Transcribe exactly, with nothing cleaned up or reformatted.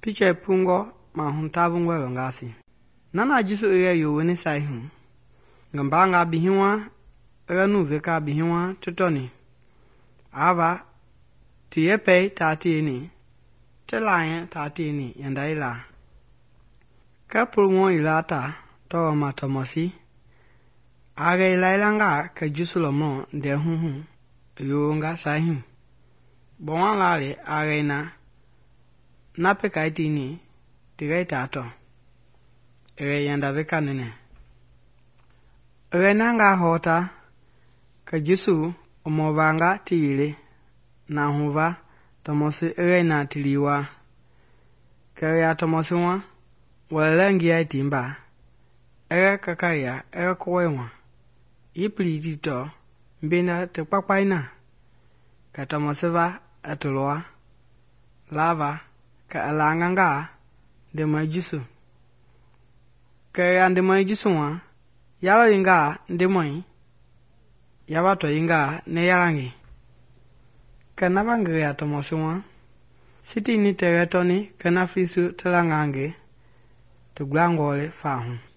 Picture pungɔ mahu tavungɔe lɔngasi. Nana Jesu i yɛ yowoni sai hu. Ngi mbaanga bihiwa i yɛ nu veka bihiwa ti tɔni. Ava ti yɛpɛi taa tieni, ti laayɛ taa tieni yanda yila. Kɛ polomo yila ta tɔwɔ ma Tɔmɔsi a gɛ yilayilangaa kɛ Jesu lɔmɔ ndɛɛhu hu i yowonga sai hu. Gbɔma laali a gɛi na na pekai tieni ti gɛi taa tɔ. I gɛ yanda veka nɛnɛ. I gɛ nangaa hɔɔta kɛ Jesu i mɔvanga ti yele na huva Tɔmɔsi i gɛi na ti lii waa. Kɛ i ya Tɔmɔsi wa wɛlɛlɛ ngiai tiimba, i gɛ kakaia i gɛ kɔwɔi wa, yi pili ti tɔ mbenda ti kpakpai na. Kɛ Tɔmɔsi va i ti lɔa laava kɛ i laangangaa Ndemɔi Jesu. Kɛ i ya Ndemɔi Jesu wa, ya lɔyingaa Ndemɔi, ya va tɔyingaa nɛ yala ngi. Kɛ na va ngi ya Tɔmɔsi wa, sitiini tɛɛwɛ tɔni kɛ na Filisi ti langaa ngi ti gblangɔɔ le faa hu.